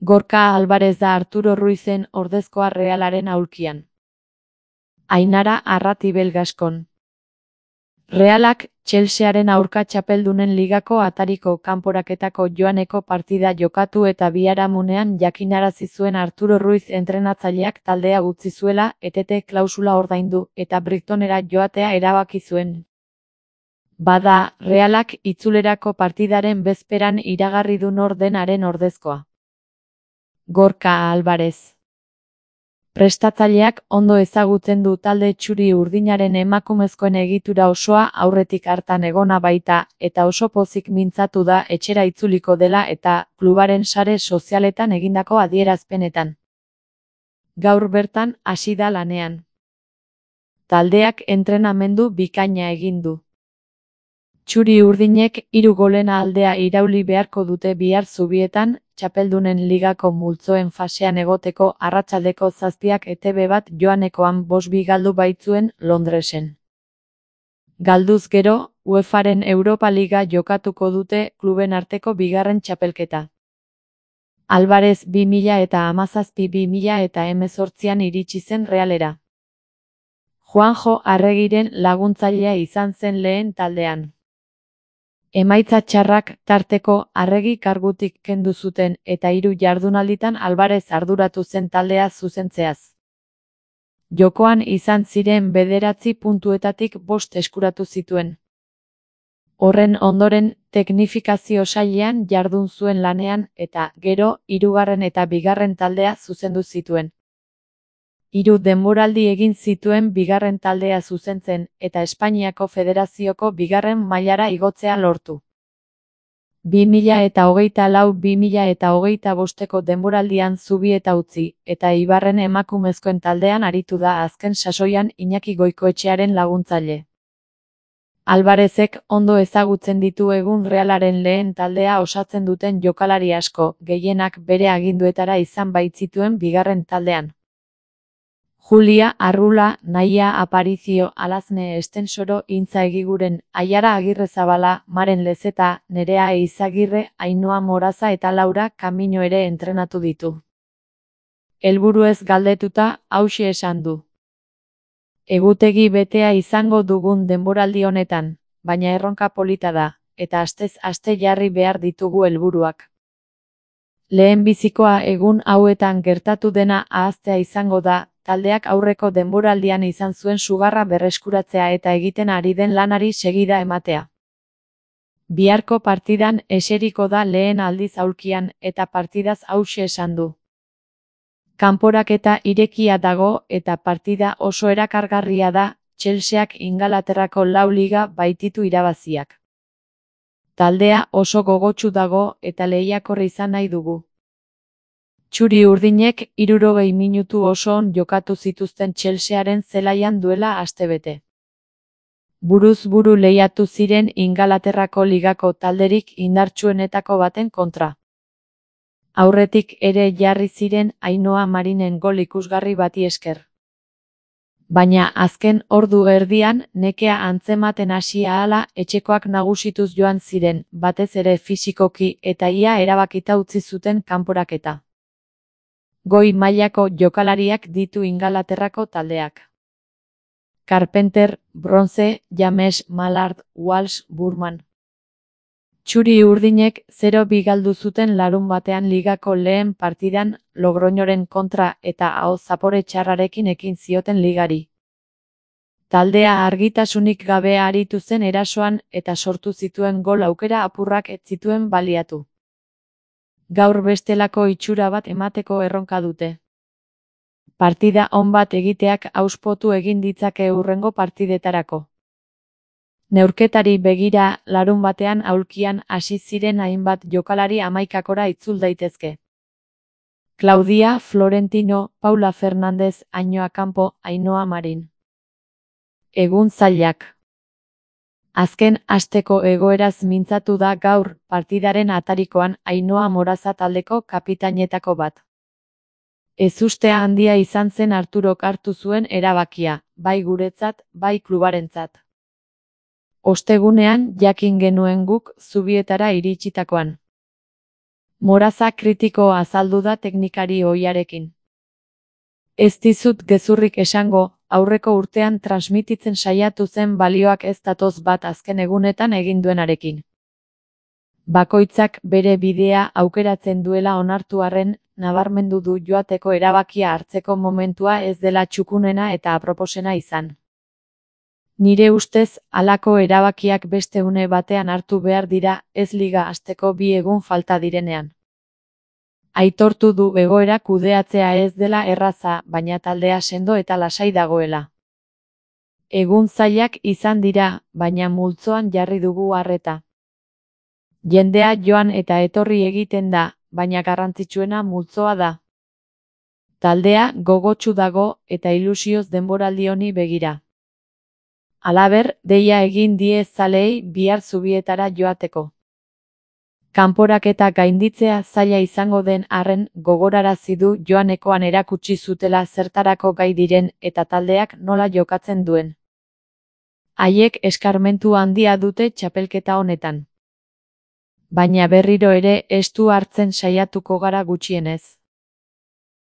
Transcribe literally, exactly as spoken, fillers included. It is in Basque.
Gorka Alvarez da Arturo Ruizen ordezkoa Realaren aulkian. Ainara Arratibel Gaskon. Realak Chelsearen aurka txapeldunen ligako atariko kanporaketako joaneko partida jokatu eta biharamunean jakinarazi zuen Arturo Ruiz entrenatzaileak taldea utzi zuela etete klausula ordaindu eta Brightonera joatea erabaki zuen. Bada, Realak itzulerako partidaren bezperan iragarri du nor den haren ordezkoa. Gorka Alvarez. Prestatzaileak ondo ezagutzen du talde txuri-urdinaren emakumezkoen egitura osoa aurretik hartan egona baita eta oso pozik mintzatu da etxera itzuliko dela eta klubaren sare sozialetan egindako adierazpenetan. Gaur bertan hasi da lanean. Taldeak entrenamendu bikaina egin du. Txuri-urdinek hiru golen aldea irauli beharko dute bihar Zubietan, txapeldunen ligako multzoen fasean egoteko arratsaldeko zazpiak E T B bat joanekoan bost bi galdu baitzuen Londresen. Galduz gero, UEFAren Europa Liga jokatuko dute kluben arteko bigarren txapelketa. Alvarez bi mila eta hamazazpi bi mila eta hemezortzian iritsi zen Realera. Juanjo Arregiren laguntzailea izan zen lehen taldean. Emaitza txarrak tarteko Arregi kargutik kendu zuten eta hiru jardunalditan Alvarez arduratu zen taldea zuzentzeaz. Jokoan izan ziren bederatzi puntuetatik bost eskuratu zituen. Horren ondoren, teknifikazio sailean jardun zuen lanean eta, gero, hirugarren eta bigarren taldea zuzendu zituen. Hiru denboraldi egin zituen bigarren taldea zuzentzen eta Espainiako Federazioko bigarren mailara igotzea lortu. bi mila eta hogeita lau bi mila eta hogeita bosteko denboraldian Zubieta utzi eta Eibarren emakumezkoen taldean aritu da azken sasoian Iñaki Goikoetxearen laguntzaile. Alvarezek ondo ezagutzen ditu egun Realaren lehen taldea osatzen duten jokalari asko, gehienak bere aginduetara izan baitzituen bigarren taldean. Julia Arrula, Naia Aparicio, Alazne Estensoro, Intza Egiguren, Aiara Agirrezabala, Maren Lezeta, Nerea Eizagirre, Ainhoa Moraza eta Laura Camino ere entrenatu ditu. Helburuez galdetuta, hauxe esan du. Egutegi betea izango dugun denboraldi honetan, baina erronka polita da, eta astez aste jarri behar ditugu helburuak. Lehenbizikoa egun hauetan gertatu dena ahaztea izango da, taldeak aurreko denboraldian izan zuen sugarra berreskuratzea eta egiten ari den lanari segida ematea. Biharko partidan eseriko da lehen aldiz aulkian eta partidaz hauxe esan du. Kanporaketa irekia dago eta partida oso erakargarria da, Chelseak Ingalaterrako lau liga baititu irabaziak. Taldea oso gogotsu dago eta lehiakor izan nahi dugu. Txuri-urdinek hirurogei minutu oso on jokatu zituzten Chelsearen zelaian duela astebete. Buruz buru lehiatu ziren Ingalaterrako ligako talderik indartsuenetako baten kontra. Aurretik ere jarri ziren Ainhoa Marinen gol ikusgarri bati esker. Baina azken ordu erdian nekea antzematen hasi ahala etxekoak nagusituz joan ziren, batez ere fisikoki eta ia erabakita utzi zuten kanporaketa. Goi mailako jokalariak ditu Ingalaterrako taldeak. Carpenter, Bronze, James, Mallard, Walsh, Burman. Txuri-urdinek zero bi galdu zuten larun batean ligako lehen partidan Logroñoren kontra eta aho zapore txarrarekin ekin zioten ligari. Taldea argitasunik gabe aritu zen erasoan eta sortu zituen gol aukera apurrak ez zituen baliatu. Gaur bestelako itxura bat emateko erronka dute. Partida on bat egiteak hauspotu egin ditzake hurrengo partidetarako. Neurketari begira, larun batean aulkian hasi ziren hainbat jokalari hamaikakora itzul daitezke. Claudia Florentino, Paula Fernández, Ainhoa Campo, Ainhoa Marin. Egun zailak. Azken asteko egoeraz mintzatu da gaur partidaren atarikoan Ainhoa Moraza taldeko kapitainetako bat. Ezuste handia izan zen Arturok hartu zuen erabakia, bai guretzat, bai klubarentzat. Ostegunean jakin genuen guk Zubietara iritsitakoan. Moraza kritiko azaldu da teknikari ohiarekin. Ez dizut gezurrik esango, aurreko urtean transmititzen saiatu zen balioak ez datoz bat azken egunetan egin duenarekin. Bakoitzak bere bidea aukeratzen duela onartu arren, nabarmendu du joateko erabakia hartzeko momentua ez dela txukunena eta aproposena izan. Nire ustez, halako erabakiak beste une batean hartu behar dira, ez liga hasteko bi egun falta direnean. Aitortu du egoera kudeatzea ez dela erraza, baina taldea sendo eta lasai dagoela. Egun zailak izan dira, baina multzoan jarri dugu arreta. Jendea joan eta etorri egiten da, baina garrantzitsuena multzoa da. Taldea gogotsu dago eta ilusioz denboraldi honi begira. Halaber, deia egin die zaleei bihar Zubietara joateko. Kanporaketa gainditzea zaila izango den arren gogorarazi du joanekoan erakutsi zutela zertarako gai diren eta taldeak nola jokatzen duen. Haiek eskarmentu handia dute txapelketa honetan. Baina berriro ere estu hartzen saiatuko gara gutxienez.